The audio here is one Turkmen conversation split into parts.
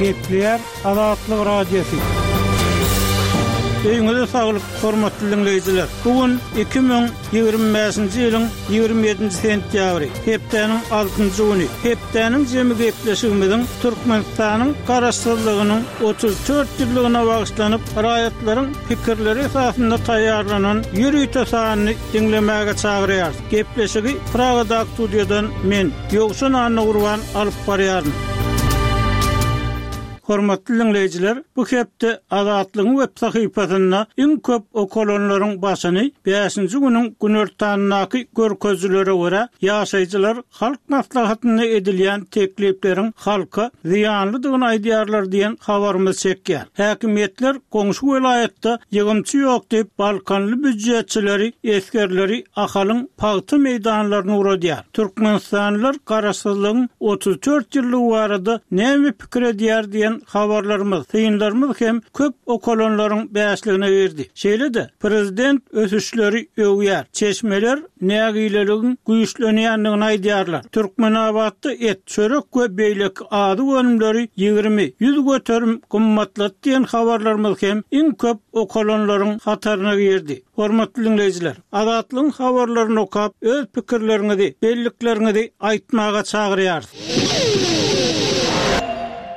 Gepleýär Azatlyk Radiosy. Öýüňize saglyk, hormatly diňleýjiler! Bu gün 2025-nji ýylyň 27-nji sentýabry, hepdäniň altynjy güni. Hepdäniň jemi gepleşigimiziň Türkmenistanyň Garaşsyzlygynyň 34 ýyllygyna bagyşlanyp, raýatlaryň pikirleri esasynda taýýarlanan ýörite sanyny diňlemäge çagyrýarys. Gepleşigi Pragadaky studiýadan men, Ýowşan Annagurban alyp barýaryn. Hormatly diňleýjiler, bu hepde Azatlygyň web sahypasynda iň köp okalanlaryň başyny bäşinji günüň günortanyndaky görkezijilere görä, ýaşaýjylar Halk Maslahatynda edilýän teklipleriň halka zyýanlydygyny aýdýarlar diýen habarymyz çekýär. Häkimiýetler goňşy welaýatda ýygymçy ýok diýip, balkanly býujetçileri, esgerleri Ahalyň pagta meýdanlaryna ugradýar. Türkmenistanlylar garaşsyzlygyň 34 ýyllygy barada näme pikir edýär diýen habarlarymyz, synlarymyz hem köp okalanlaryň bäşligine girdi. Şeýle-de, prezident ösüşleri öwýär. Çeşmeler nägileligiň güýçlenýändigini aýdýarlar. Türkmenabatda et, çörek we beýleki azyk önümleri 20, 100% gymmatlady diýen habarlarymyz hem iň köp okalanlaryň hataryna girdi. Hormatly diňleýjiler, Azatlygyň habarlaryny okap, öz pikirleriňizi, bellikleriňizi aýtmaga çagyrýarys.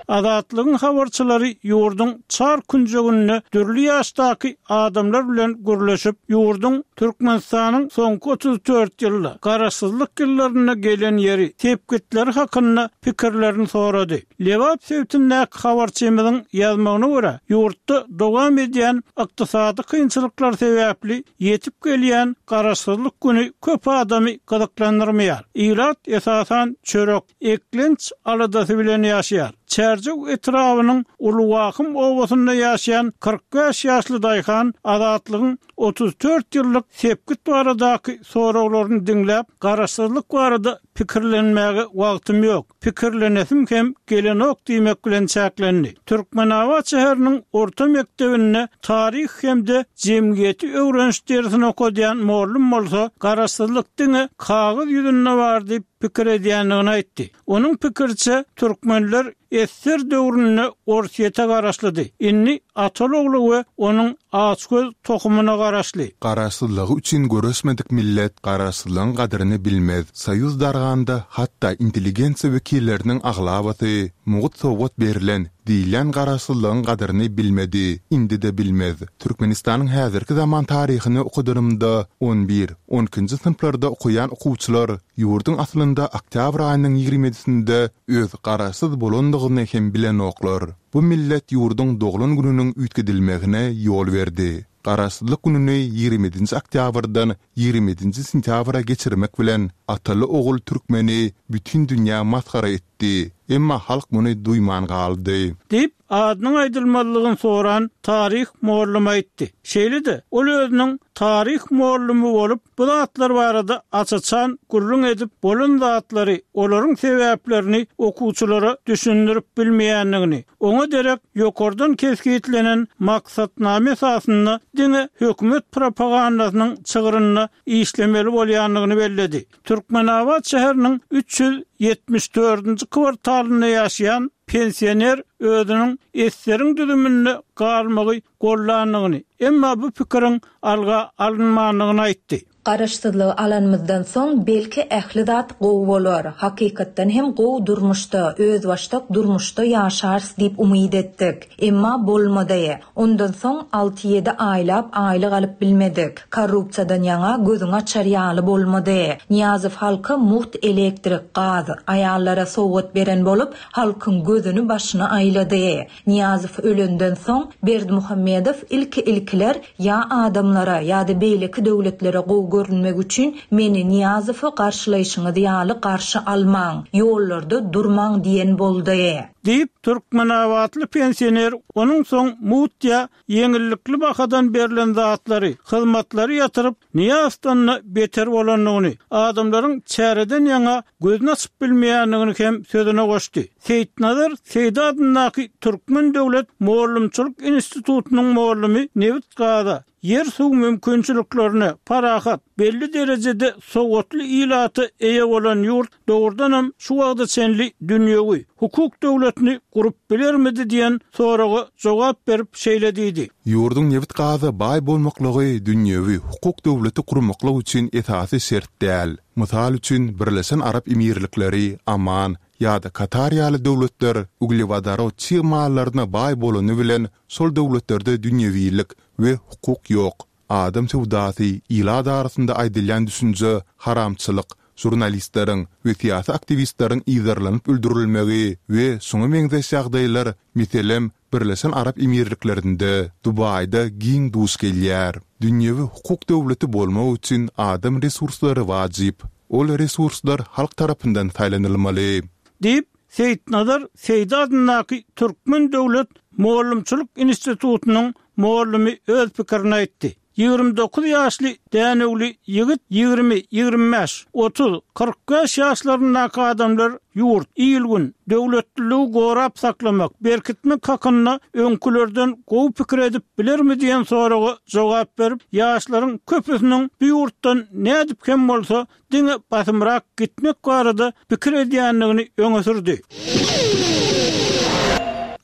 Azatlygyň habarçylary ýurduň çar künjeginde dürli ýaşdaky adamlar bilen gürleşip, ýurduň Türkmenistanyň soňky 34 ýylda, garaşsyzlyk ýyllarynda gelen ýeri, sepgitleri hakynda pikirlerini sorady. Lebap sebitindäki habarçymyzyň ýazmagyna görä, ýurtda dowam edýän ykdysady kynçylyklar sebäpli ýetip gelýän Garaşsyzlyk güni köp adamy gyzyklandyrmaýar. Ilat esasan çörek, eklenç aladasy bilen ýaşaýar. Çärjew etrabynyň Uly Wahym obasynda ýaşaýan 45 ýaşly daýhan Azatlygyň 34 ýyllyk sepgit baradaky soraglaryny diňläp, Garaşsyzlyk barada pikirlenmäge wagtym ýok, pikirlenesim hem gelenok diýmek bilen çäklendi. Türkmenabat şäheriniň orta mekdebinde taryh hem-de jemgyýeti öwreniş dersini okadýan mollum bolsa, Garaşsyzlyk diňe kagyz ýüzünde bar diýip pikir edýändigini aýtdy. Onuň pikiriçe, türkmenler Ssr döwründe Orsýete garaşlydy. Indi ataly-ogly we onuň açgöz tohumyna garaşly. Garaşsyzlygy üçin göreşmedik millet garaşsyzlygyň gadyryny bilmez. Soýuz darganda hatda intelligensiýa wekilleriniň aglabasy mugt sowgat berlen diýilýän garaşsyzlygyň gadyryny bilmedi, indi-de bilmez. Türkmenistanyň häzirki zaman taryhyny okadanymda on bir, on ikinji synplarda okaýan okuwçylar ýurduň aslynda oktýabr aýynyň ýigrimi ýedisinde öz garaşsyz bolandygyny hem bilenoklar. Bu millet ýurduň doglan gününiň üýtgedilmegine ýol berdi. Garaşsyzlyk gününi ýigrimi ýedinji oktýabrdan ýigrimi ýedinji sentýabra geçirmek bilen ataly-ogul türkmeni bütin dünýä masgara etdi. Emma halk muny duýman galdy. Diýip, adynyň aýdylmazlygyny soran taryh mollumy aýtdy. Şeýle-de, ol özüniň taryh mollumy bolup, Bu zatlar barada aç-açan gürrüň edip, bolan zatlary, olaryň sebäplerini okuwçylara düşündirip bilmeýändigini, oňa derek ýokardan kesgitlenen maksatnama esasynda diňe hökümet propagandasynyň çygrynda işlemeli bolýandygyny belledi. Türkmenabat şäheriniň 374-nji kwartalynda ýaşaýan pensioner özüniň eseriň düzüminde galmagy gollandygyny, emma bu pikiriň alga alynmandygyny aýtdy. Garaşsyzlygy alanymyzdan soň, belki, ähli zat gowy bolar, hakykatdan hem gowy durmuşda, özbaşdak durmuşda ýaşarys diýip umyt etdik. Emma bolmady. Ondan soň alty-ýedi aýlap aýlyk alyp bilmedik. Korrupsiýadan ýaňa gözüňi açar ýaly bolmady. Nyýazow halka mugt elektrik, gaz, aýallara sowgat beren bolup, halkyň gözüni-başyny aýlady. Nyýazow ölenden soň, Berdimuhamedow ilki-ilkiler ýa adamlara, ýa-da beýleki döwletlere gowy görünmek üçin meni Nyýazowy garşylaýşyňyz ýaly garşy almaň, ýollarda durmaň diýen boldy. Diýip, türkmenabatly pensioner onuň soň mugt ýa ýeňillikli bahadan berlen zatlary, hyzmatlary ýatyryp, Nyýazowdan-da beter bolandygyny, adamlaryň çäreden ýaňa gözüni açyp bilmeýändigini hem sözüne goşdy. Seýitnazar Seýdi adyndaky Türkmen döwlet mugallymçylyk institutynyň mugallymy nebit-gaza, ýer-suw mümkinçiliklerine, parahat, belli derejede sowatly ilata eýe bolan ýurt dogrudanam şu wagta çenli dünýewi, hukuk döwleti. döwletini gurup bilermidi diýen soraga jogap berip şeýle diýdi. Ýurduň nebit-gaza baý bolmaklygy dünýewi hukuk döwleti gurmaklyk üçin esasy şert däl. Mysal üçin, Birleşen Arap Emirlikleri, Oman ýa-da Katar ýaly döwletler uglewodorod çig mallaryna baý bolany bilen şol döwletlerde dünýewilik we hukuk ýok. Adam söwdasy, ilat arasynda aýdylýan düşünje, haramçylyk, žurnalistleriň we syýasy aktiwistleriň yzarlanyp öldürilmegi we şuňa meňzeş ýagdaýlar, meselem, Birleşen Arap Emirliklerinde, Dubaýda giň duş gelýär. Dünýewi hukuk döwleti bolmak üçin adam resurslary wajyp. Ol resurslar halk tarapyndan saýlanylmaly. Diýip, Seýitnazar Seýdi adyndaky Türkmen döwlet mugallymçylyk institutynyň mugallymy öz pikirini aýtdy. 29 ýaşly dänewli ýigit 20, 25, 30, 45 ýaşlaryndaky adamlar ýurt, il-gün, döwletliligi gorap saklamak, berkitmek hakynda öňkülerden gowy pikir edip bilermi diýen soraga jogap berip, ýaşlaryň köpüsiniň bu ýurtdan nädip hem bolsa diňe basymrak gitmek barada pikir edýändigini öňe sürdi.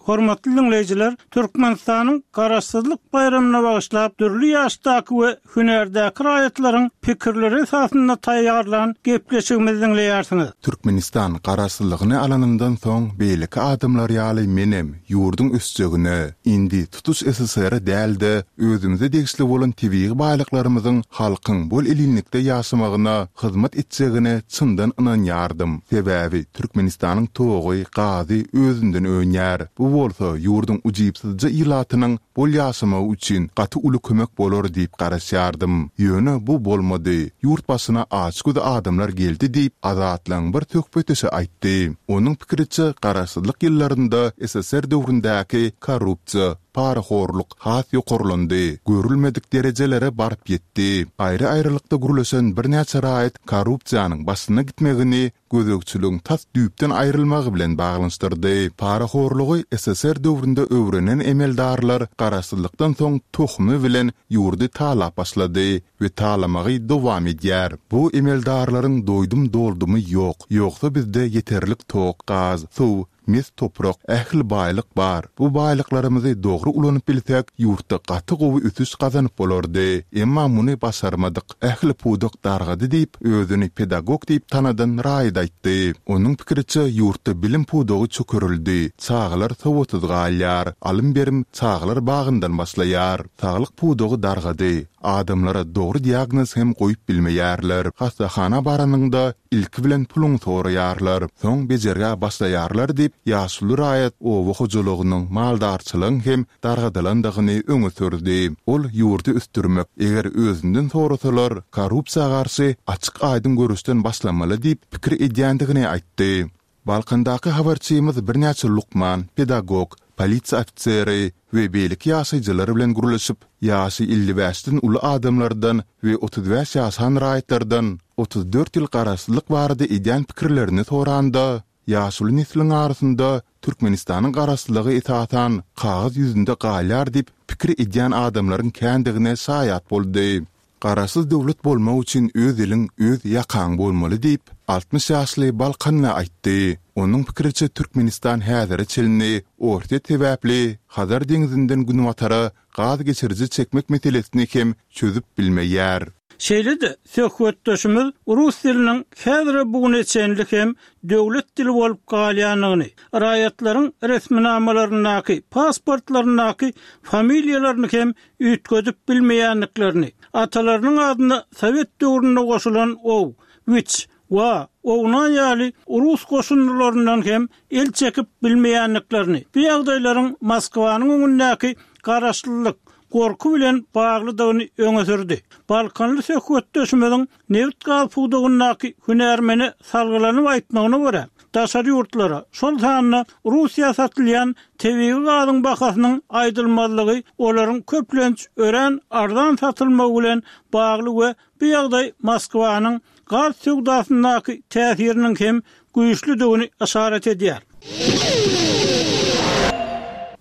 Hormatly diňleýjiler, Türkmenistanyň Garaşsyzlyk baýramyna bagyşlap dürli ýaşdaky we hünärdäki raýatlaryň pikirleri esasynda taýýarlan gepleşigimizi diňleýärsiňiz. Türkmenistan Garaşsyzlygyny alanyndan soň beýleki adamlar ýaly menem ýurduň ösjegine, indi tutuş SSR-e däl-de, özümize degişli bolan tebigy baýlyklarymyzyň halkyň bol-elinlikde ýaşamagyna hyzmat etjegine çyndan ynanýardym. Sebäbi Türkmenistanyň togy, gazy özünden önýär. Bu bolsa ýurduň ujypsyzja ilatynyň bol ýaşamagy üçin gaty uly kömek bolar diýip garaşýardym. Ýöne bu bolmady. Ýurt başyna açgöz adamlar geldi diýip, Azatlygyň bir söhbetdeşi aýtdy. Onuň pikiriçe, garaşsyzlyk ýyllarynda SSR döwründäki korrupsiýa, parahorluk has ýokarlandy, görülmedik derejelere baryp ýetdi. Aýry-aýrylykda gürleşen birnäçe raýat korrupsiýanyň başyna gitmegini gözegçiligiň tas düýpden aýrylmagy bilen baglanyşdyrdy. Parahorlugy SSR döwründe öwrenen emeldarlar garaşsyzlykdan soň tohumy bilen ýurdy talap başlady we talamagy dowam edýär. Bu emeldarlaryň doýdum-doldumy ýok. Ýogsa bizde ýeterlik tok, gaz, suw, Mes toprak, ähli baýlyk bar. Bu baýlyklarymyzy dogry ulanyp bilsek, ýurtda gaty gowy ösüş gazanyp bolardy. Emma muny başarmadyk. Ähli pudak dargady diýip, özüni pedagog diýip tanadan raýat aýtdy. Onuň pikiriçe, ýurtda bilim pudagy çökerildi, çagalar sowatsyz galýar, alym-berim çagalar bagyndan başlaýar. Saglyk pudagy dargady. Adamlara dogry diagnoz hem goýup bilmeýärler. Hassahana baranyňda, ilki bilen puluňy soraýarlar, soň bejergä başlaýarlar diýip, ýaşuly raýat oba hojalygynyň, maldarçylygyň hem dargadylandygyny öňe sürdi. Ol ýurdy ösdürmek, eger özünden sorasalar, korrupsiýa garşy açyk-aýdyň göreşden başlamaly diýip pikir edýändigini aýtdy. Balkandaky habarçymyz birnäçe lukman, pedagog, polisiýa ofiseri we beýleki ýaşaýjylar bilen gürleşip, ýaşy 55-den uly adamlardan we 35 ýaşan raýatlardan 34 ýyl garaşsyzlyk barada edýän pikirlerini soranda, ýaşuly nesliň arasynda Türkmenistanyň garaşsyzlygy esasan kagyz ýüzünde galýar diýip pikir edýän adamlaryň kändigine şaýat boldy. Garaşsyz döwlet bolmak üçin öz iliň, öz ýakaň bolmaly diýip, 60 ýaşly balkanly aýtdy. Onuň pikiriçe, Türkmenistan häzire çenli Orsýet sebäpli Hazar deňzinden günbatara gaz geçiriji çekmek meselesini hem çözüp bilmeýär. Şeýle-de, söhbetdeşimiz rus diliniň häzire bu güne çenli hem döwlet dili bolup galýandygyny, raýatlaryň resminamalaryndaky, pasportlaryndaky familiýalaryny hem üýtgedip bilmeýändiklerini, atalarynyň adyna sowet döwründe goşulan ow, wiç, wa, owna ýaly rus goşundylaryndan hem el çekip bilmeýändiklerini, bu ýagdaýlaryň Moskwanyň öňündäki garaşlylyk, gorky bilen baglydygyny öňe sürdi. Balkanly söhbetdeşimiziň Nebit-gaz pudagyndaky hünärmene salgylanyp aýtmagyna görä, daşary ýurtlara, şol sanda Russiýa satylýan tebigy gazyň bahasynyň aýdylmazlygy olaryň köplenç örän arzan satylmagy bilen bagly we bu ýagdaý Moskwanyň gaz söwdasyndaky täsiriniň hem güýçlüdigini yşarat edýär.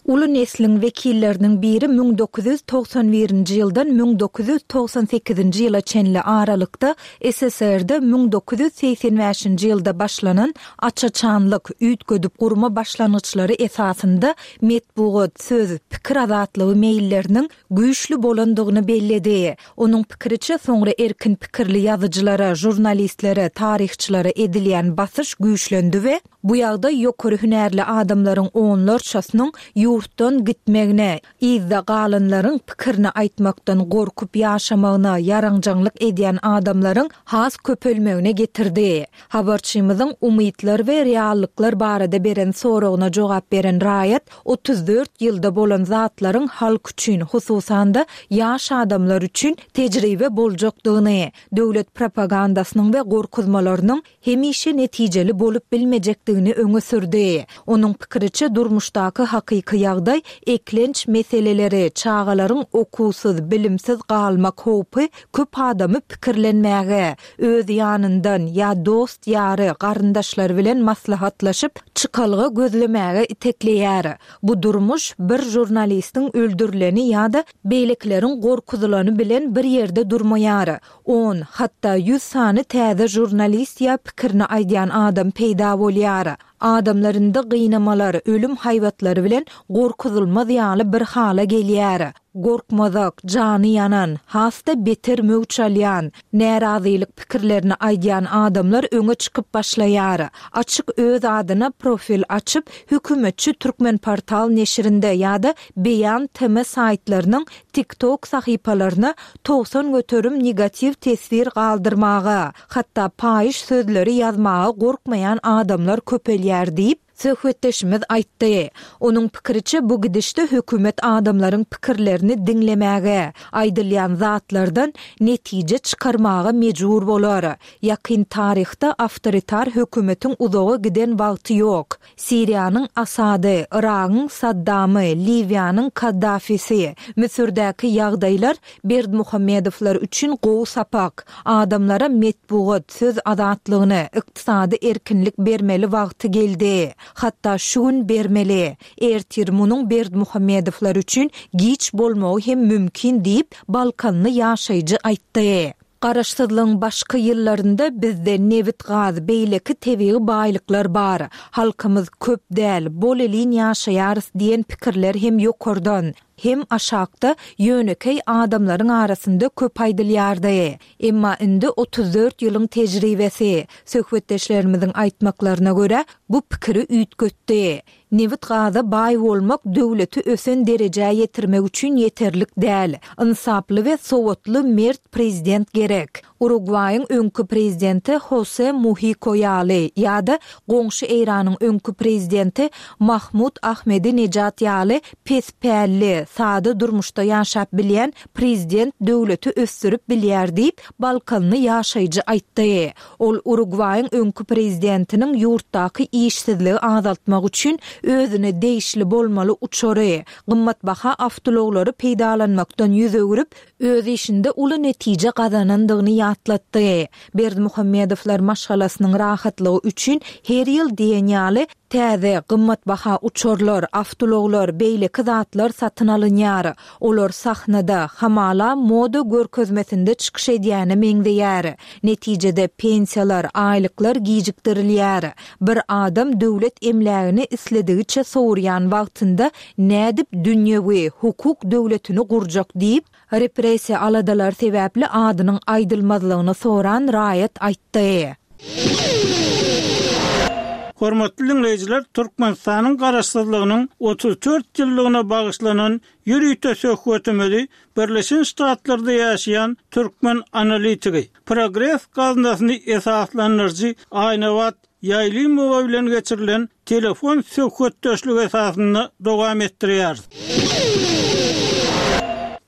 Uly nesliň wekilleriniň biri 1991-nji ýyldan 1998-nji ýyla çenli aralykda SSR-de 1985-nji ýylda başlanan aç-açanlyk, üýtgedip gurma başlangyçlary esasynda metbugat, söz, pikir azatlygy meýilleriniň güýçli bolandygyny belledi. Onuň pikiriçe, soňra erkin pikirli ýazyjylara, žurnalistlere, taryhçylara edilýän basyş güýçlendi we bu ýagdaý ýokary hünärli adamlaryň onlarçasynyň ýurtdan gitmegine, yzda galanlaryň pikirini aýtmakdan gorkup ýaşamagyna, ýaranjaňlyk edýän adamlaryň has köpelmegine getirdi. Habarçymyzyň umytlar we reallyklar barada beren soragyna jogap beren raýat 34 ýylda bolan zatlaryň halk üçin, hususan-da, ýaş adamlar üçin tejribe boljakdygyny, döwlet propagandasynyň we gorkuzmalarynyň hemişe netijeli bolup bilmejekdigini öňe sürdi. Onuň pikiriçe, durmuşdaky hakyky ýagdaý eklenç meseleleri, çagalaryň okuwsyz, bilimsiz galmak howpy köp adamy pikirlenmäge, öz ýanyndan ýa dost-ýary, garyndaşlary bilen maslahatlaşyp, çykalga gözlemäge itekleýär. Bu durmuş bir žurnalistiň öldürileni ýa-da beýlekileriň gorkuzylany bilen bir ýerde durmaýar. On, hatda ýüz sany täze žurnalist ýa pikirini aýdýan adam peýda bolýar. Adamlar indi gynamalar, ölüm haýbatlary bilen gorkuzylmaz ýaly bir hala gelýär. Gorkmazak, jany ýanan, has-da beter möwç alýan, närazylyk pikirlerini aýdýan adamlar öňe çykyp başlaýar. Açyk öz adyna profil açyp, hökümetçi Türkmenportal neşirinde ýa-da Beýan TM saýtlarynyň TikTok sahypalaryna 90% negatiw teswir galdyrmaga, hatda paýyş sözleri ýazmaga gorkmaýan adamlar köpelýär diýip, söhbetdeşimiz aýtdy. Onuň pikiriçe, bu gidişde hökümet adamlaryň pikirlerini diňlemäge, aýdylýan zatlardan netije çykarmaga mejbur bolar. Ýakyn taryhda awtoritar hökümetiň uzaga giden wagty ýok. Siriýanyň Asady, Yragyň Saddamy, Liwiýanyň Kaddafisi, Müsürdäki ýagdaýlar Berdimuhamedowlar üçin gowy sapak. Adamlara metbugat, söz azatlygyny, ykdysady erkinlik bermeli wagty geldi. Hatda şu gün bermeli. Ertir munuň Berdimuhamedowlar üçin giç bolmagy hem mümkin diýip, balkanly ýaşaýjy aýtdy. Garaşsyzlygyň başky ýyllarynda bizde nebit-gaz, beýleki tebigy baýlyklar bar. Halkymyz köp däl, bolelin ýaşaýarys diýen pikirler hem ýokardan, hem aşakda ýönekeý adamlaryň arasynda köp aýdylýardy. Emma indi 34 ýylyň tejribesi, söhbetdeşlerimiziň aýtmaklaryna görä, bu pikiri üýtgetdi. Nebit-gaza baý bolmak döwleti ösen derejä ýetirmek üçin ýeterlik däl. Ynsaply we sowatly mert prezident gerek. Urugwaýyň öňki prezidenti Hose Muhiko ýaly ýa-da goňşy Eýranyň öňki prezidenti Mahmud Ahmedinejad ýaly pes pälli, sada durmuşda ýaşap bilýän prezident döwleti ösdürip bilýär diýip, balkanly ýaşaýjy aýtdy. Ol Urugwaýyň öňki prezidentiniň ýurtdaky işsizligi azaltmak üçin özüne degişli bolmaly uçary, gymmatbaha awtoulaglary peýdalanmakdan ýüz öwrüp, öz işinde uly netije gazanandygyny ýatlatdy. Berdimuhamedowlar maşgalasynyň rahatlygy üçin her ýyl diýen ýaly Täze, gymmatbaha uçarlar, awtoulaglar, beýleki zatlar satyn alynýar. Olar sahnada, hamala, moda görkezmesinde çykyş edýäne meňzeýär. Netijede, pensiýalar, aýlyklar gijikdirilýär. Bir adam döwlet emlägini isledigiçe sowurýan wagtynda nädip dünýewi, hukuk döwletini gurjak diýip, Repressiýa aladalary sebäpli adynyň aýdylmazlygyny soran raýat aýtdy. Hormatly diňleýjiler, Türkmenistanyň Garaşsyzlygynyň 34 ýyllygyna bagyşlanan ýörite söhbetimizi Birleşen Ştatlarda ýaşaýan türkmen analitigi, Progres gaznasyny esaslandyryjy Aýnabat Ýaýlymowa bilen geçirilen telefon söhbetdeşligi esasynda dowam etdirýäris.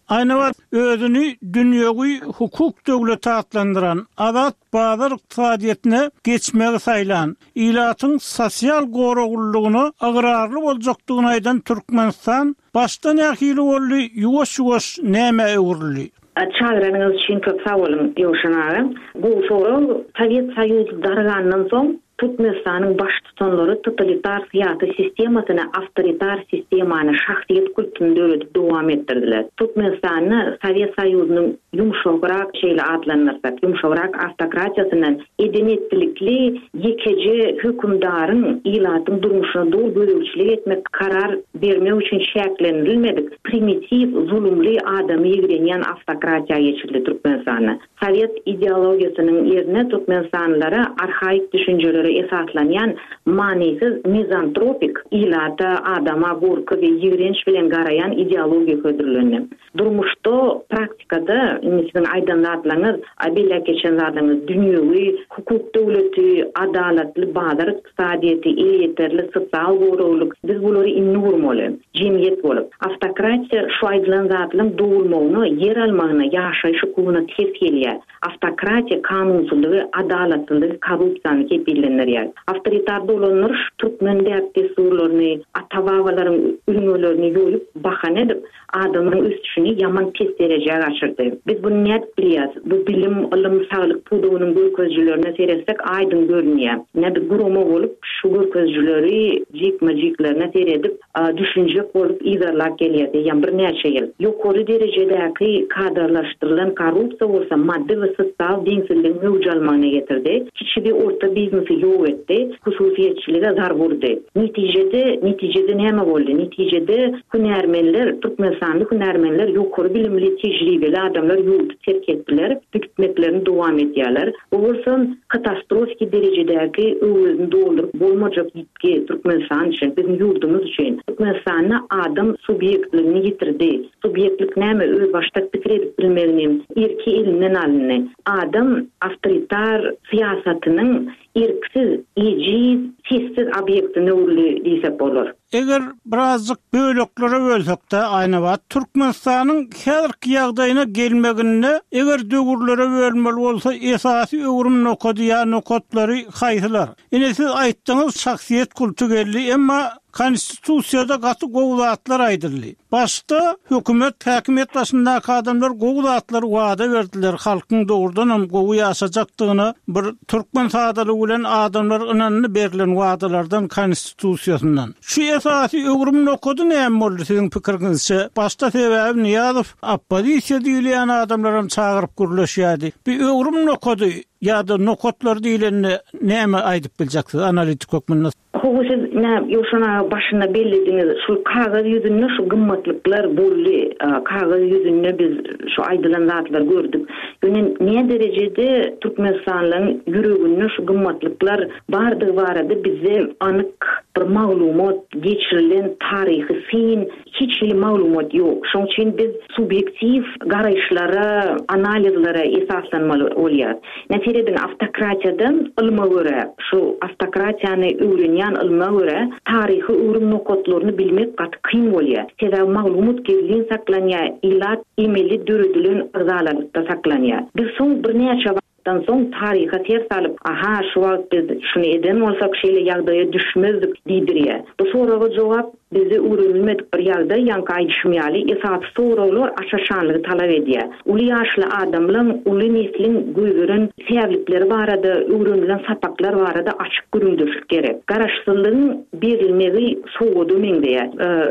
Aýnabat özüni dünýewi hukuk döwleti atlandyran, azat bazar ykdysadyýetine geçmegi saýlan, ilatyň sosial goraglylygyna ygrarly boljakdygyny aýdan Türkmenistan başda nähili boldy, ýuwaş-ýuwaş nämä öwrüldi? Çagyranyňyz üçin köp sag boluň, Ýowşan aga. Gowy sorag. Sowet Soýuzy dargandan soň. Türkmenistanyň baştutanlary totalitar syýasy sistemasyny awtoritar sistemany, şahsyýet kultuny döredip dowam etdirdiler. Türkmenistanda Sowet Soýuzynyň ýumşagrak, şeýle atlandyrsak, ýumşagrak awtokratiýasyndan eden-etdilikli ýekeje hökümdaryň ilatyň durmuşyna doly gözegçilik etmek, karar bermek üçin çäklendirilmedik primitiw, zulumly, adamy ýigrenýän awtokratiýa geçildi Türkmenistanda. Sowet ideologiýasynyň ýerine türkmenistanlylara arhaik düşünjelere esaslanýan manysyz mizantropik, ilata, adama gorky we ýigrenç bilen garaýan ideologiýa hödürlendi. Durmuşda, praktikada, indi siziň aýdan zatlaryňyz, belläp geçen zatlaryňyz dünýewi, hukuk döwleti, adalatly bazar ykdysadyýeti, elýeterli sosial goraglyk, biz bulary indi gurmaly. Jemgyýet bolup. Awtokratiýa şu aýdylan zatlaryň dogulmagyna, ýer almagyna, ýaşaýyş hukugyna ters gelýär. Awtokratiýa kanunsyzlygy, adalatsyzlygy, korrupsiýany kepillendirýär. Awtoritar dolandyryş türkmen däp-dessurlaryny, ata-babalaryň ülňülerini ýoýup, bahana edip, Adamyň ösüşini ýaman pes derejä gaçyrdy. Biz buny nädip bilýäs? Bu bilim, ylym, saglyk pudagynyň görkezijilerine seretsek aýdyň görünýär. Ine biz gurama bolup şu görkezijileri jikme-jiklerine seredip, düşünjek bolup yzarlap gelýäs eýýäm birnäçe ýyl. Ýokary derejedäki kadrlaşdyrylan korrupsiýa bolsa maddy we sosial deňsizligiň möwç almagyna getirdi, kiçi we orta biznesi ýok etdi, hususyýetçilige zarba urdy. Netijede, netijede näme boldy? Netijede Hünärmenler, türkmenistanly hünärmenler, ýokary bilimli, tejribeli adamlar ýurdy terk etdiler, gitmeklerini dowam edýärler. Bu bolsa katastrofiki derejedäki öwezini dolduryp bolmajak ýitgi Türkmenistan üçin, biziň ýurdumyz üçin. Türkmenistanda adam subýektligini ýitirdi. Subýektlik näme? Özbaşdak pikir edip bilmegini, erki elinden alyndy. Adam awtoritar syýasatynyň erksiz, ejiz, sessiz obýektine öwrüldi diýsek bolar. Eger birazjyk böleklere bölsek-de, Aýnabat, Türkmenistanyň häzirki ýagdaýyna gelmeginde eger döwürlere bölmeli bolsa, esasy öwrüm nokady ýa nokatlary haýsylar? Ine siz aýtdyňyz şahsyýet kulty geldi, emma Konstitusiýada gaty gowy zatlar aýdyldy. Başda hökümet, häkimiýet başyndaky adamlar gowy zatlar wada berdiler, halkyň dogrudanam gowy ýaşajakdygyna bir türkmen sadalygy bilen adamlar ynandy berlen wadalardan konstitusiýasyndan. Şu esasy öwrüm nokady näme boldy siziň pikiriňizçe? Başda sebäbi Nyýazow oppozisiýa diýilýän adamlaram çagyryp gürleşýärdi. Bu öwrüm nokady ýa-da nokatlar diýlende näme aýdyp biljeksiz analitik hökmünde? Hawa siz nä Ýowşan aga başynda bellediňiz şul kagyz ýüzünde şu gymmatlyklar boldy kagyz ýüzünde biz şu aýdylan zatlary gördük ýöne nä derejede türkmenistanlyň ýüreginde şu gymmatlyklar bardygy barada bizde anyk bir maglumat geçirilen taryhy syn hiç hili maglumat ýok şoň üçin biz subýektiw garaýyşlara analizlere esaslanmaly bolýar. Ine serediň awtokratiýada ylma görä, şu awtokratiýany öwrenýän ylma görä taryhy öwrüm nokatlaryny bilmek gaty kyn bolýar. Sebäbi maglumat gizlin saklanýar, ilat emeli döredilen agzalalykda saklanýar. Biz soň birnäçe wagtdan soň taryha ser salyp, aha şu wagt biz şuny eden bolsak şeýle ýagdaýa düşmezdik diýdirýär. Bu soraga jogap Bizde öwrenilmedik bir ýagdaý, ýaňky aýdyşym ýaly, esasy soraglar aç-açanlygy talap edýär. Uly ýaşly adamlaň, uly nesliň goýberen säwlikleri barada, öwrenilen sapaklar barada açyk gürrüňdeşlik gerek. Garaşsyzlygyň berilmegi sowgada meňzeýär.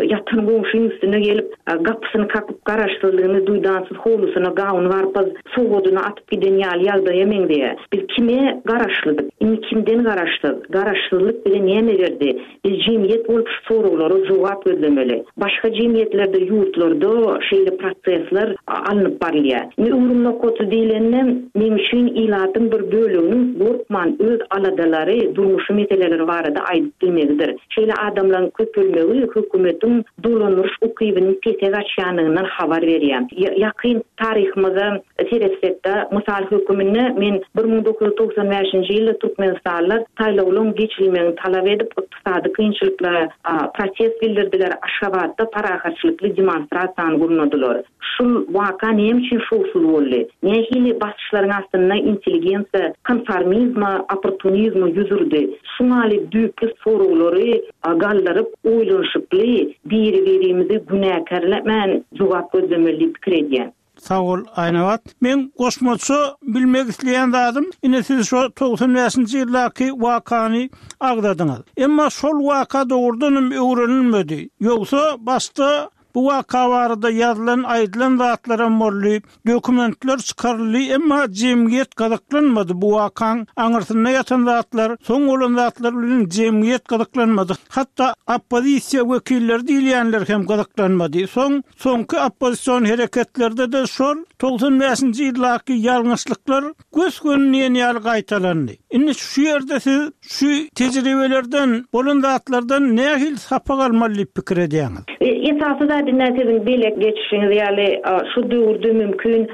Ýatan goňşyň üstüne gelip, gapysyny kakyp, garaşsyzlygyny duýdansyz howlusyna gawun-garpyz sowgadyny atyp giden ýaly ýagdaýa meňzeýär. Biz kime garaşlydyk? Indi kimden garaşsyz? Garaşsyzlyk bize näme berdi? Biz jemgyýet bolup şu soraglara jogap gözlemeli. Başga jemgyýetlerde, ýurtlarda şeýle prosesler alnyp barylýar. Indi öwrüm nokaty diýlende, meň üçin ilatyň bir böleginiň gorkman öz aladalary, durmuşy meseleleri barada aýdyp bilmegidir. Şeýle adamlaryň köpelmegi hökümetiň dolandyryş ukybynyň pese gaçýandygyndan habar berýär. Ýakyn taryhymyza seretsekde, mysal höküminde men 1995-nji ýylda türkmenistanlylar saýlawlaryň geçirilmegini talap edip, ykdysady kynçylyklara protest bildirdiler, Aşgabatda parahatçylykly demonstrasiýany gurnadylar. Şul waka näme üçin şowsuz boldy? Nähili basyşlaryň astynda intelligensiýa konformizme, opportunizme ýüz urdy? Şuňaly düýpli soraglary galdyryp, oýlanyşykly, biri-birimizi günäkärlemän jogap gözlemeli diýip pikir edýän. Sag bol Aýnabat. Meň goşmaça bilmek isleýän zadym, ine siz şo 95-nji ýyldaky wakany agzadyňyz. Emma şol waka dogrudan hem öwrenilmedi. Ýogsa başda bu waka barada ýazylan, aýdylan zatlaram boldy, dokumentler çykaryldy, emma jemgyýet gyzyklanmady bu wakaň aňyrsynda ýatan zatlar, soň bolan zatlar bilen jemgyýet gyzyklanmady. Hatda oppozisiýa wekilleri diýilýänler hem gyzyklanmady. Soň Soňky oppozision hereketlerde-de şol 95-nji ýyldaky ýalňyşlyklar gös-göni diýen ýaly gaýtalandy. Indi şu ýerde siz şu tejribelerden, bolan zatlardan nähili sapak almaly diýip pikir edýäňiz? Esasy zat indi siziň belek geçişiňiz ýaly şu döwürde mümkin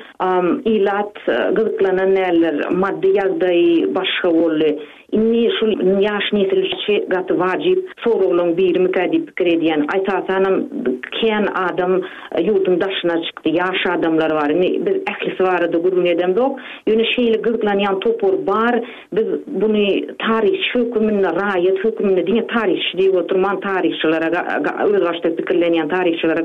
ilat gyzyklanan däldir, maddy ýagdaýy başga boldy. Indi şu ýaş nesil üçi gaty wajyp soraglaň birimikä diýip pikir edýän. Esasanam kän adam ýurduň daşyna çykdy, ýaş adamlar bar. Indi biz ählisi barada gürrüň edemzok. Ýöne şeýle gyzyklanýan topar bar. Biz buny taryhçy höküminde, raýat höküminde, diňe taryhçy diýip oturman, taryhçylara özbaşdak pikirlenýän taryhçylara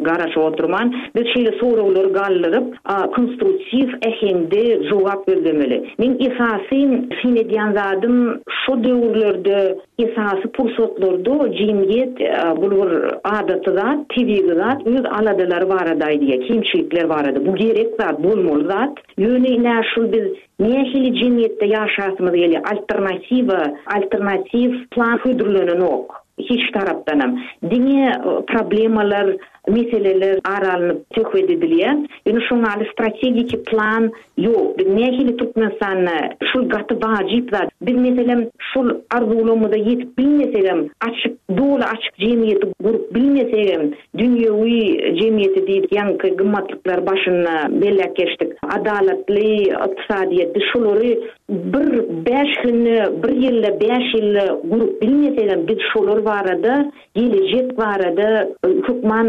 garaşyp oturman, biz şeýle soraglary galdyryp, konstruktiw äheňde jogap gözlemeli. Meň esasy syn edýän zadym şo döwürlerde esasy pursatlarda jemgyýet bul bir adaty zat, tebigy zat öz aladalary barada aýdýar, kemçilikler barada. Bu gerek zat, bolmaly zat. Ýöne ine şul biz nähili jemgyýetde ýaşasymyz gelýär, alternatiwa, alternatiw plan hödürlenenok hiç tarapdanam. Diňe problemalar meseleler ara alnyp söhbet edilýär. Ýöne şoň ýaly strategiki plan ýok. Biz nähili Türkmenistanda şul gaty wajyp zat. Biz meselem şol arzuwlarymyza ýetip bilmesegem, açyk, doly açyk jemgyýeti gurup bilmesegem, dünýewi jemgyýeti diýdik, ýaňky gymmatlyklary başynda belläp geçdik, adalatly ykdysadyýeti şolary bir bäş günde, bir ýylda, bäş ýylda gurup bilmesegem, biz şolar barada Gelejek barada hökman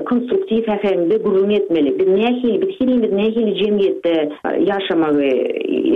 konstruktiw äheňde gürrüň etmeli. Biz nähili, biz herimiz nähili jemgyýetde ýaşamagy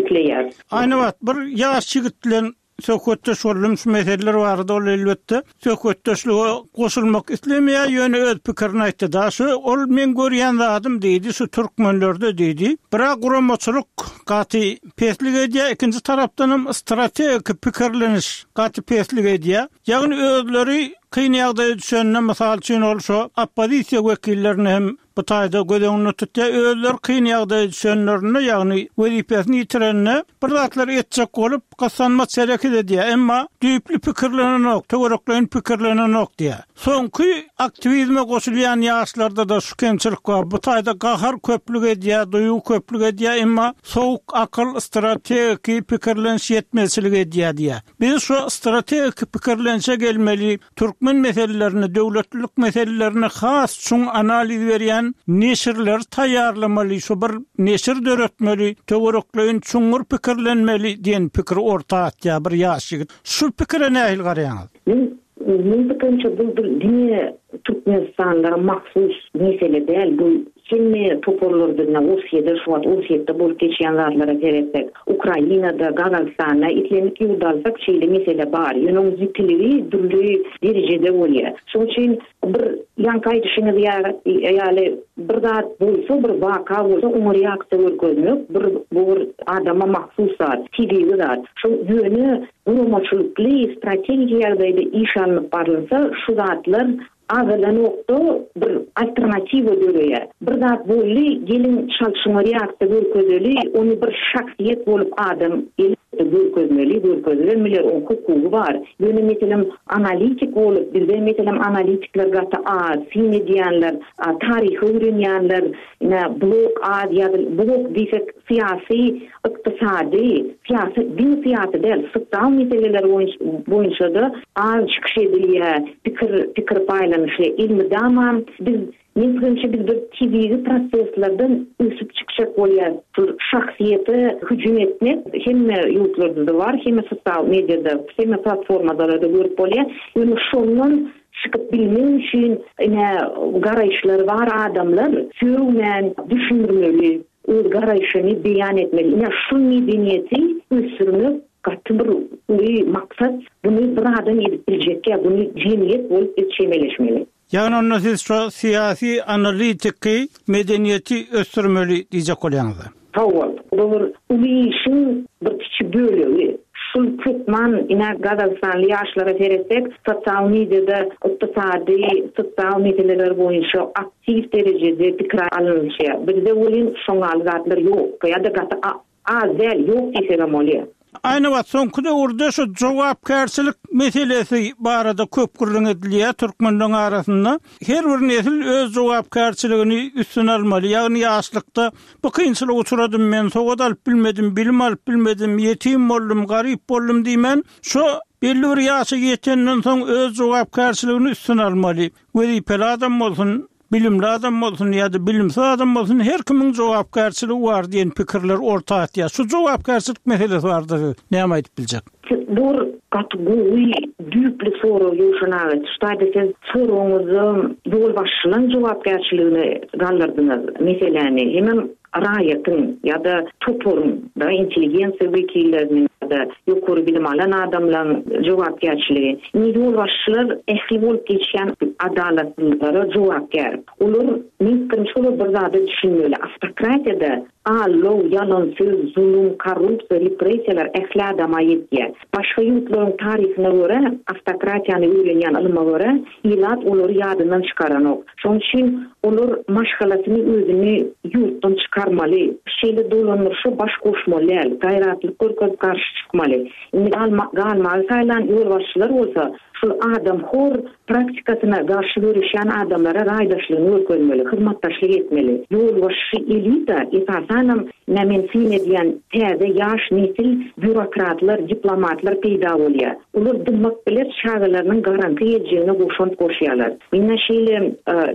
isleýäris? Aýnabat, bir ýaş ýigit bilen söhbetdeş boldum şu meseleler barada, ol elbetde söhbetdeşlige goşulmak islemeýär, ýöne öz pikirini aýtdy-da, şu ol meň görýän zadym diýdi, şu türkmenlerde diýdi, bir-ä guramaçylyk gaty peslik edýär, ikinji tarapdanam strategiki pikirleniş gaty peslik edýär. Ýagny özleri kyn ýagdaýa düşende, mysal üçin ol şo oppozisiýa wekillerini hem bu taýda göz öňünde tutýar, özleri kyn ýagdaýa düşenlerinde, ýagny wezipesini ýitirende bir zatlar etjek bolup gyssanmaç hereket edýär, emma düýpli pikirlenenok, töwerekleýin pikirlenenok diýýär. Soňky aktiwizme goşulýan ýaşlarda-da şu kemçilik bar, bu taýda gahar köplük edýär, duýgy köplük edýär, emma sowuk akyl, strategiki pikirleniş ýetmezçilik edýär diýýär. Biz şu strategiki pikirlenişe gelmeli, türkmen meselelerine, döwletlilik meselelerine has çuň analiz berýän neşirleri taýýarlamaly, şu bir neşir döretmeli, töwerekleýin çuňňur pikirlenmeli diýen pikiri orta atýar bir ýaş ýigit. Şu pikire nähili garaýaňyz? Men meň pikirimçe bu bir diňe türkmenistanlylara mahsus mesele däl, bu Hemme toparlarda ine Orsýede şu wagt Orsýetde bolup geçýän zatlara seretsek, Ukrainada, Gazagystanda islendik ýurdy alsak şeýle mesele bar. Ýöne oň ýitiligi dürli derejede bolýar. Şoň üçin bir ýaňky aýdyşyňyz ýaly bir zat bolsa, bir waka bolsa oňa reaksiýa görkezmek bir bu bir adama mahsus zat, tebigy zat. Şo ýöne guramaçylykly, strategiki ýagdaýda iş alnyp barylsa şu zatlar Azalanokda bir alternatiwa döreýär. Bir zat boldy, geliň çalt şuňa reaksiýa görkezeli, ony bir şahsyýet bolup adam elbetde görkezmeli, görkezibem biler, oň hukugy bar. Ýöne meselem analitik bolup, bizde meselem analitikler gaty az, syn edýänler, taryhy öwrenýänler, ine blog az ýazyl, blog diýsek syýasy Ykdysady, syýasy, diňe syýasy däl, sosial meseleler boýunça-da az çykyş edilýär, pikir pikir paýlanyşylýar. Elmydama biz, meň pikirimçe, biz bir tebigy proseslerden ösüp çykjak bolýarys. Şol şahsyýete hüjüm etmek hemme ýurtlarda-da bar, hemme sosial mediada, hemme platformalarda görüp bolýar. Ýöne şondan çykyp bilmek üçin ine garaýyşlary bar adamlar sögmän düşündirmeli. Öz garaýşyny beýan etmeli. Ine şu medeniýeti ösdürmek gaty bir uly maksat. Buny bir adam edip biljek däl. Buny jemgyýet bolup biz çemeleşmeli. Ýagny onda siz şo syýasy analitiki medeniýeti ösdürmeli diýjek bolýaňyz-a? Hawa, bu bir uly işiň bir kiçi bölegi. Şul hökman, ine gazagystanly ýaşlara seretsek, sosial mediada ykdysady, sosial meseleler boýunça aktiw derejede pikir alnyşýar. Bizde welin şoňaly zatlar ýok ýa-da gaty Az däl, ýok diýsegem bolýar. Aýnabat, soňky döwürde şu jogapkärçilik meselesi barada köp gürrüň edilýär türkmenleň arasynda. Her bir nesil öz jogapkärçiligini üstüne almaly. Ýagny ýaşlykda bu kynçylyga uçradym men, sowat alyp bilmedim, bilim alyp bilmedim, ýetim boldum, garyp boldum diýmän, şo belli bir ýaşa ýetenden soň öz jogapkärçiligini üstüne almaly. Wezipeli adam bolsun, Bilimli adam bolsun ýa-da bilimsiz adam bolsun her kimiň jogapkärçiligi bar diýen pikirler orta atýar. Şu jogapkärçilik meselesi barada siz näme aýdyp biljek? Siz bu bir gaty gowy, düýpli sorag Ýowşan aga. Şu taýda siz soragyňyzda ýolbaşçylaň jogapkärçiligine galdyrdyňyz meseläni. Hemem raýatyň ýa-da toparyň, da intelligensiýa wekilleriniň ýa-da ýokary bilim alan adamlaryň jogapkärçiligi. Indi ýolbaşçylar ähli bolup geçýän adalatsyzlyklara jogapkär. Olar, meň pikirimçe, olar bir zada düşünmeli, awtokratiýada aldaw, ýalan söz, zulum, korrupsiýa, repressiýalar ähli adama ýetýär. Başga ýurtlaryň taryhyna görä, awtokratiýany öwrenýän ylyma görä, ilat olary ýadyndan çykaranok. Şonuň üçin olar maşgalasyny, özüni ýurtdan çykarmaly. Şeýle dolandyryşa baş goşmaly däl, gaýratlyk görkezip garşy çykmaly. Indi galmagy saýlan ýolbaşçylar bolsa, şol adamhor praktikasyna garşy göreşýän adamlara raýdaşlygyny görkezmeli, hyzmatdaşlyk etmeli. Ýolbaşçy elita, esasanam, ine men syn edýän täze ýaş nesil býurokratlar, diplomatlar peýda bolýar. Olar dymmak biler çagalarynyň garaňky geljegine goşant goşýarlar. Men-ä şeýle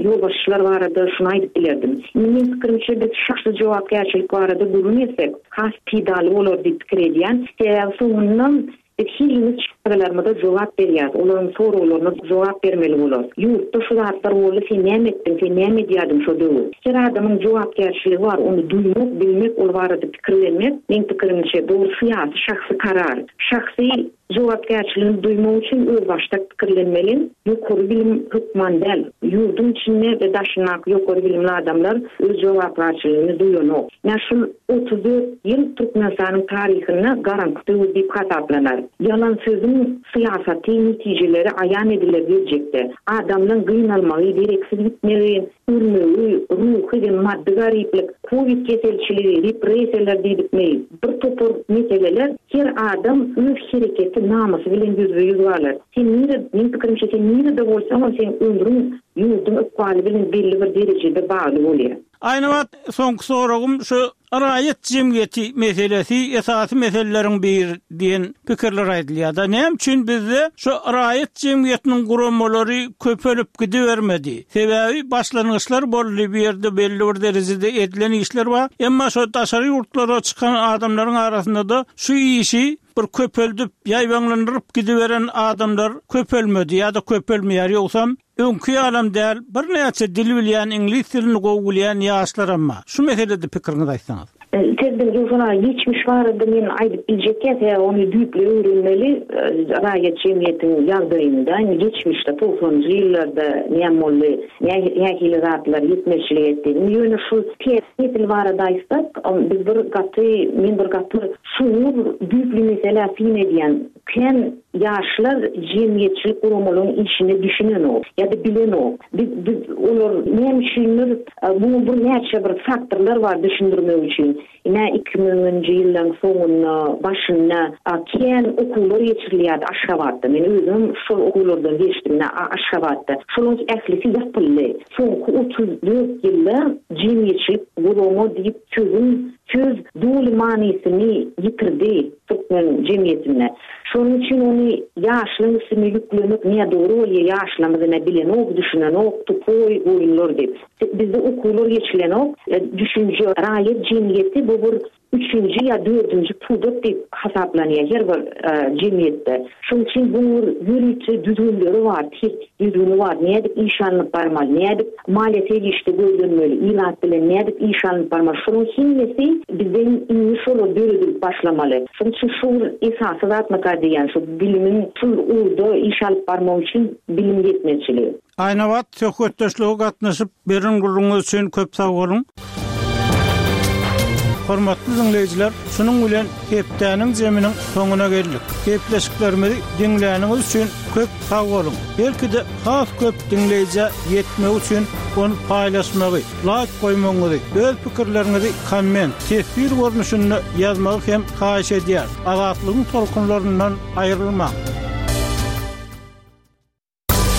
ýolbaşçylar barada şuny aýdyp bilerdim. Indi meň pikirimçe biz şahsy jogapkärçilik barada gürrüň etsek has peýdaly bolar diýip pikir edýän. Sebäbi soňundan biz hemmemiz çagalarymyza jogap berýäs, olaryň soraglaryna jogap bermeli bolarys. Ýurtda şu zatlar boldy, sen näme etdiň, sen näme edýärdiň şo döwür? Her adamyň jogapkärçiligi bar, ony duýmak, bilmek, ol barada pikirlenmek, meň pikirimçe, dogry syýasy şahsy karar. Şahsy jogapkärçiligini duýmak üçin özbaşdak pikirlenmeli. Ýokary bilim hökman däl. Ýurduň içinde we daşyndaky ýokary bilimli adamlar öz jogapkärçiligini duýanok. Ine şul 34 ýyl Türkmenistanyň taryhynda garaňky döwür diýip hasaplanar. Ýalan sözüň syýasaty netijeleri aýan ediler geljekde. Adamlaň gynalmagy, dereksiz gitmegi, Ölmegi, ruhy we maddy garyplyk, kowid keselçiligi, repressiýalar diýdikmi, bir topar meseleler, her adam öz hereketi, namysy bilen ýüzbe-ýüz galar. Sen nire, meň pikirimçe sen nirede bolsaňam seň ömrüň ýurduň ykbaly bilen belli bir derejede bagly bolýar. Aýnabat, soňky soragym şu Raýat jemgyýeti meselesi esasy meseleleriň biri diýen pikirler aýdylýar-da. Näme üçin bizde şu raýat jemgyýetiniň guramalary köpelip gidibermedi? Sebäbi başlangyçlar boldy, bu ýerde belli bir derejede edilen işler bar. Emma şu daşary ýurtlara çykan adamlaryň arasynda-da şu işi bir köpeldip, ýaýbaňlandyryp gidiberen adamlar köpelmedi ýa-da köpelmeýär. Ýogsam Öňki ýalam däl, birnäçe dil bilýän, iňlis dilini gowy bilýän ýaşlaram bar. Şu meselede pikiriňizi aýtsaňyz. Serden Ýowşan aga, geçmiş barada men aýdyp biljek däl, sebäbi ony düýpli öwrenmeli, raýat jemgyýetiň ýagdaýynda, indi geçmişde, togsanynjy ýyllarda näme boldy, nähili zatlar ýetmezçilik etdi. Indi ýöne şu täze nesil barada aýtsak, biz bir gaty, men bir gaty çuňňur düýpli meselä syn edýän. Kän ýaşlar jemgyýetçilik guramalaryň işine düşünenok ýa-da bilenok. Biz biz olar näme üçindir muňa bir näçe bir faktorlar bar düşündirmek üçin. Ine 2000-nji ýyllaryň soňunda, başynda kän okuwlar geçirilýärdi Aşgabatda. Men özüm şol okuwlardan geçdim ine Aşgabatda. Şolaryň ählisi ýapyldy. Soňky 34 ýylda jemgyýetçilik gurama diýip sözüň söz doly manysyny ýitirdi. Türkmen jemgyýetinde. Şonuň üçin ony ýaşlaň üstüne ýüklemek nädogry bolýa ýaşlarymyz ine bilenok düşünenok tupoý goýunlar diýip. Bizde okuwlar geçilenok düşünje raýat jemgyýeti bu bir üçünji ýa dördünji pudak diýip hasaplanýa her bir jemgyýetde. Şonuň üçin bu bir ýörite düzgünleri bar tertip düzgüni bar nädip iş alnyp barmaly nädip maliýe serişde gözlenmeli ilat bilen nädip iş alnyp barmaly şolaryň hemmesi bizden indi şolar döredilip başlamaly. Şonuň üçin şu bir esasy zatmyka diýýän şu bilimiň şul ugurda iş alyp barmak üçin bilim ýetmezçiligi. Aýnabat söhbetdeşlige gatnaşyp beren gürrüňiňiz üçin köp sag boluň. Hormatly diňleýjiler, şunuň bilen hepdäniň jeminiň soňuna geldik. Gepleşiklerimizi diňläniňiz üçin köp sag boluň. Belki-de has köp diňleýjä ýetmegi üçin ony paýlaşmagy, laýk goýmagyňyzy, öz pikirleriňizi komment, teswir görnüşinde ýazmagy hem haýyş edýäris. Azatlygyň tolkunlaryndan aýrylmaň!